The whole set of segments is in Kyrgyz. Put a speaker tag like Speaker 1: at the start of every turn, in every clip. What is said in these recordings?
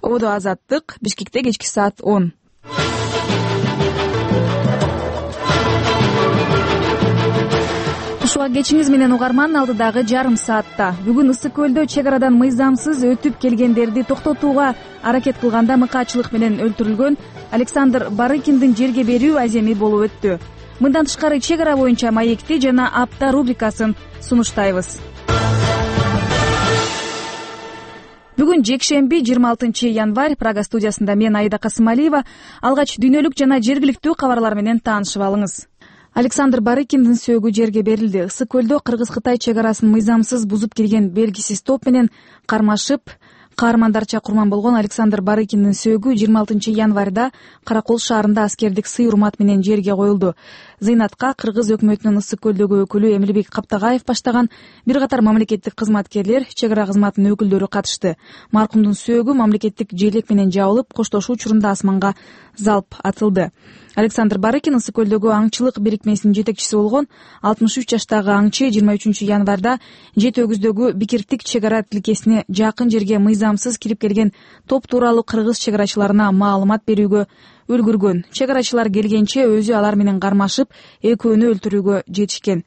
Speaker 1: Ободо Азаттык, Бишкекте кечки саат 10. Ушуга кечиңиз менен угарман, алдыдагы жарым саатта. Бүгүн Ысык көлдө чек арадан мыйзамсыз өтүп келгендерди токтотууга аракет кылганда мыкаачылык менен өлтүрүлгөн Александр Барыкиндин жерге берүү аземи болуп өттү. Мындан тышкары чек ара боюнча маекти жана апта рубрикасын сунуштайбыз. Бүгүн жекшемби 26 январь, Прага студиясында мен Аида Касымалиева. Алгач дүйнөлүк жана жергиликтүү кабарлар менен таанышып алыңыз. Александр Барыкиндин сөөгү жерге берилди. Ысык көлдө Кыргыз-Кытай чек арасын мыйзамсыз бузуп кирген белгисиз топ менен кармашып, каармандарча курман болгон Александр Барыкиндин сөөгү 26 январда Каракол шаарында аскердик сый-урмат менен жерге коюлду. Зыйнатка Кыргыз өкмөтүнүн Ысык көлдөгү өкүлү Эмилбек Каптагаев баштаган бир катар мамлекеттик кызматкерлер, чек ара кызматынын өкүлдөрү катышты. Маркумдун сөөгү мамлекеттик желек менен жабылып, коштошуу учурунда асманга залп атылды. Александр Барыкин Ысык көлдөгү аңчылык бирикмесинин жетекчиси болгон 63 жаштагы аңчы 23 январда Жети өгүздөгү Бикиртик чек ара тилкесине жакын жерге мыйзамсыз кирип келген топ тууралуу кыргыз чек арачыларына маалымат берүүгө үлгүргөн. Чек арачылар келгенче өзү алар менен кармашып, экөөнү өлтүрүүгө жетишкен.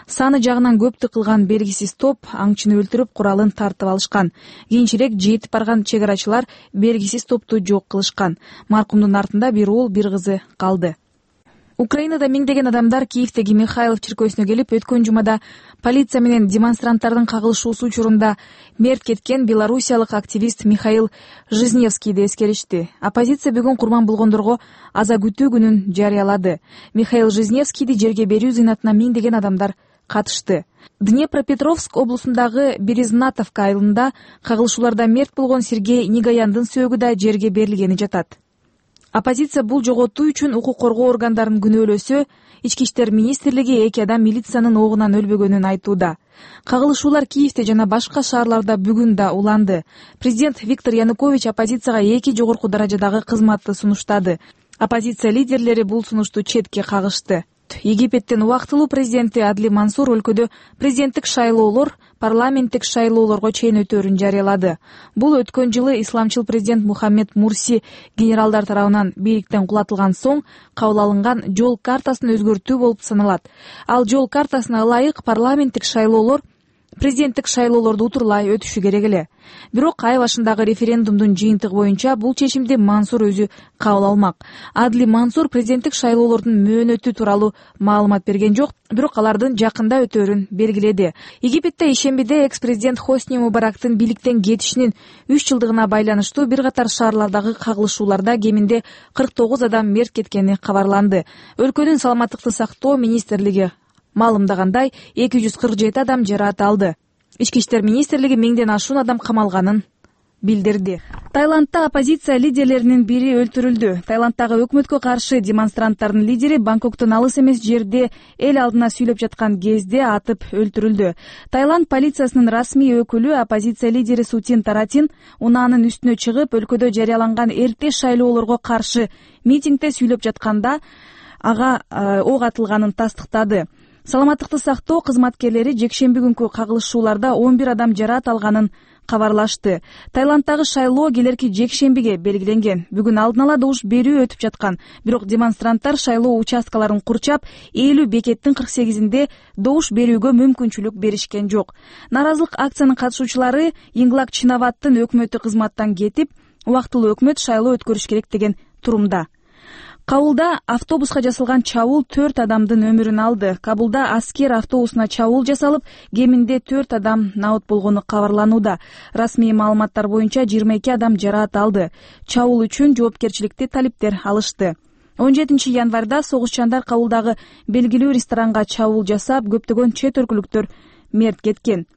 Speaker 1: Саны жагынан көптүк кылган белгисиз топ аңчыны өлтүрүп, куралын тартып алышкан. Кийинчерээк жетип барган чек арачылар белгисиз топту жок кылышкан. Маркумдун артында бир уул, бир кызы калды. Украинада миңдеген адамдар Киевдеги Михайлов чиркөөсүнө келип, өткөн жумада полиция менен демонстранттардын кагылышуусу учурунда мерт кеткен белоруссиялык активист Михаил Жизневскийди эскеришти. Оппозиция бүгүн курман болгондорго аза күтүү күнүн жарыялады. Михаил Жизневскийди жерге берүү зыйнатына миңдеген адамдар катышты. Днепропетровск облусундагы Березнатовка айылында кагылышууларда мерт болгон Сергей Негаяндын сөөгү да жерге берилгени жатат. Оппозиция бул жоготуу үчүн укук коргоо органдарын күнөөлөсө, Ички иштер министрлиги 2 адам милициянын оогунан өлбөгөнүн айтууда. Кагылышуулар Киевде жана башка шаарларда бүгүн да уланды. Президент Виктор Янукович оппозицияга 2 жогорку даражадагы кызматты сунуштады. Оппозиция лидерлери бул сунушту четке кагышты. Египеттин убактылуу президенти Адли Мансур өлкөдө президенттик шайлоолор парламенттик шайлоолорго чейин өтөөрүн жарыялады. Бул өткөн жылы исламчыл президент Мухаммед Мурси генералдар тарабынан бийликтен кулатылган соң кабыл алынган жол картасын өзгөртүү болуп саналат. Ал жол картасына ылайык парламенттик шайлоолор президенттик шайлоолорду утурлай өтүшү керек эле. Бирок ай башындагы референдумдун жыйынтыгы боюнча бул чечимди Мансур өзү кабыл алмак. Адли Мансур президенттик шайлоолордун мөөнөтү тууралуу маалымат берген жок, бирок алардын жакында өтөөрүн белгиледи. Египетте ишембиде экс-президент Хосни Мубарактын бийликтен кетишинин 3 жылдыгына байланыштуу бир катар шаарлардагы кагылышууларда кеминде 49 адам мерт кеткени кабарланды. Өлкөнүн саламаттыкты сактоо министрлиги маалымдагандай 247 адам жараат алды. Ички иштер министрлиги 1000ден ашуун адам камалганын билдирди. Таиландда оппозиция лидерлеринин бири өлтүрүлдү. Таиланддагы өкмөткө каршы демонстранттардын лидери Бангкоктон алыс эмес жерде эл алдына сүйлөп жаткан кезде атып өлтүрүлдү. Таиланд полициясынын расмий өкүлү оппозиция лидери Сутин Таратин унаанын үстүнө чыгып, өлкөдө жарыяланган эрте шайлоолорго каршы митингде сүйлөп жатканда ага ок атылганын тастыктады. Саламаттыкты сактоо кызматкерлери жекшемби күнкү кагылышууларда 11 адам жараат алганын кабарлашты. Таиланддагы шайлоо келерки жекшембиге белгиленген. Бүгүн алдын ала добуш берүү өтүп жаткан. Бирок демонстранттар шайлоо участкаларын курчап, 50 бекеттин 48-инде добуш берүүгө мүмкүнчүлүк беришкен жок. Нааразылык акциянын катышуучулары Инглак Чинаваттын өкмөтү кызматтан кетип, убактылуу өкмөт шайлоо өткөрүш керек деген турумда. Кабулда автобуска жасалган чабуул 4 адамдын өмүрүн алды. Кабулда аскер автобусуна чабуул жасалып, кеминде 4 адам набыт болгону кабарланууда. Расмий маалыматтар боюнча 22 адам жараат алды. Чабуул үчүн жоопкерчиликти талиптер алышты. 17 январда согушчандар Кабулдагы белгилүү ресторанга чабуул жасап, көптөгөн чет өлкөлүктөр мерт кеткен.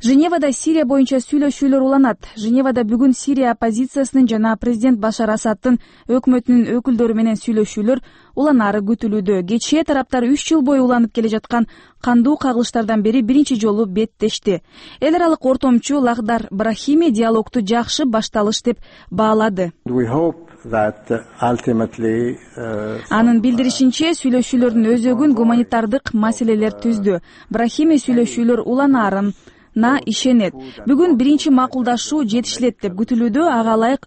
Speaker 1: Женевада Сирия боюнча сүйлөшүүлөр уланат. Женевада бүгүн Сирия оппозициясынын жана президент Башар Асадтын өкмөтүнүн өкүлдөрү менен сүйлөшүүлөр уланары күтүлүүдө. Кечээ тараптар 3 жыл бою уланып келе жаткан кандуу кагылыштардан бери биринчи жолу беттешти. Эл аралык ортомчу Лахдар Брахими диалогду жакшы башталыш деп баалады. Анын билдиришинче, сүйлөшүүлөрдүн өзөгүн гуманитардык маселелер түздү. Брахими сүйлөшүүлөр уланаарын ишенет. Бүгүн биринчи макулдашуу жетишилет деп күтүлүүдө. Ага ылайык